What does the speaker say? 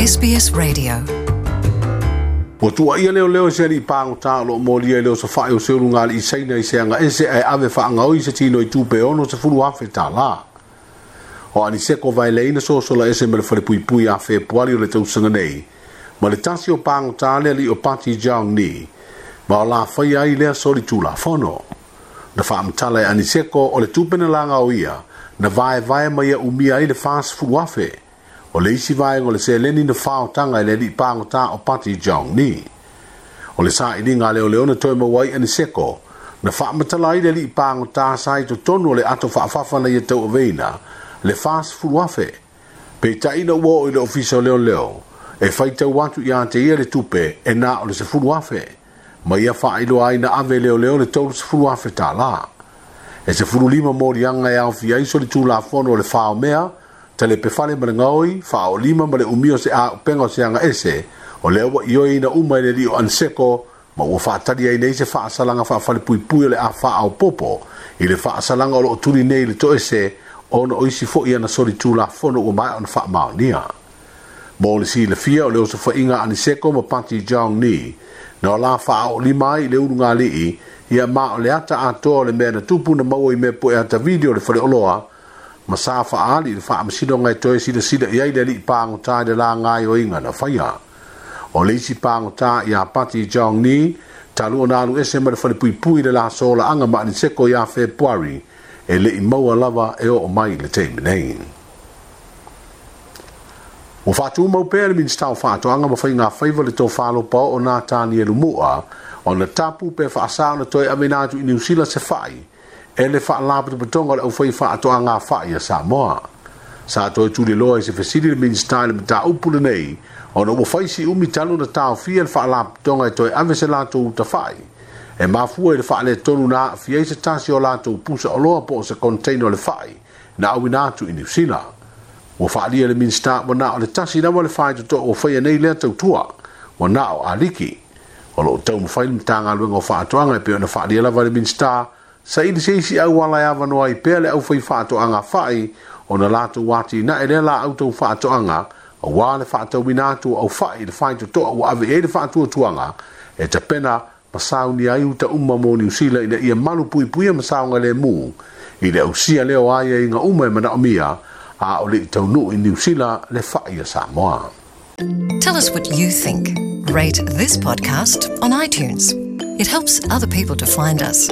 SBS Radio. Ua tuuaia leoleo i se alii pagota o lo o molia i le osofai o se ulugalii Saina i se agaese ae ave faagaoi se tino i tupe $60,000. O Aniseko Vaelei na sosola ese ma le falepuipui ia Fepuari o le tausaga nei, ma le tasi o pagota le alii o Pati Jiang Ni, ma o la faia ai lea solitulafono. Na faamatala e Aniseko o le tupe na lagaoia na vaevae ma ia umia ai le 40,000 o le isi vaega o le seleni na faotaga e le alii pagota o Pati Jiang Ni. O le sailiga a leoleo na toe maua ai Aniseko, na faamatala ai le alii pagota sa i totonu o le ato faafafa na ia tauaveina le 40,000. Peitai ina ua oo i le ofisa o leoleo, e faitau atu ia te ia le tupe e na o le 10,000, ma ia faailoa ai na ave e leoleo le $30,000. E 15 moliaga e aofia ai solitulafono o le faomea, talepefale ma le gaoi, faaolima ma le umia o se auupega o se agaese, o lea ua ioeina uma e le alii o Aniseko, ma ua faatali ai nei se faasalaga faafalepuipui o le a faaopoopo i le faasalaga o lo o tuli nei i le toese ona o isi foi ana solitulafono ua maea ona faamaonia. Mo le silafia o le osofaiga a Aniseko ma Pati Jiang Ni, na o la faaolima ai i le ulugalii, ia ma o le ata atoa o le mea na tupu na maua i mea pue ata video o le faleoloa, ma sa faaali i le faamasinoga e toe silasila i ai le alii pagota i le la gaoioiga na faia. O le isi pagota ia Pati Jiang Ni, talu ona alu ese ma le falepuipui i le la solaaga ma Aniseko ia Fepuari, e le i maua lava e oo mai i le taimi nei. Ua faatumau pea le Minisita o Faatoaga ma Faiga Faiva le tofa lopaoo o Natanielu Mua ona tapu pe faasa ona toe aveina atu i Niu Sila se fai e le Faalapotopotoga o le Aufaifaatoaga Fai a Samoa. Sa toe tuliloa i se fesili le Minisita i le mataupu lenei ona ua fai si umi talu ona taofia le Faalapotopotoga e toe ave se latou uta fai e mafua i le faaletonu na aafia ai se tasi o latou pusa oloa po o se container o le fai na auina atu i Niu Sila. Ua faaalia e le Minisita ua na o le tasi lava le faitotoa ua faia nei lea tautua, ua na o Aliki. O lo o taumafai le Matagaluega o Faatoaga e pei ona faaalia lava e le Minisita, saili se isi auala e avanoa ai pea le aufaifaatoaga fai ona latou atinae lea laau tau faatoaga aua le faatauina atu o aufai i le faitotoa ua ave i ai le faatuatuaga e tapena ma saunia ai uta uma mo Niu Sila ina ia malu puipuia ma saogalemu i le ausia lea o aiaiga uma e manaomia a o le i taunuu i Niu Sila le fai a Samoa. Tell us what you think. Rate this podcast on iTunes. It helps other people to find us.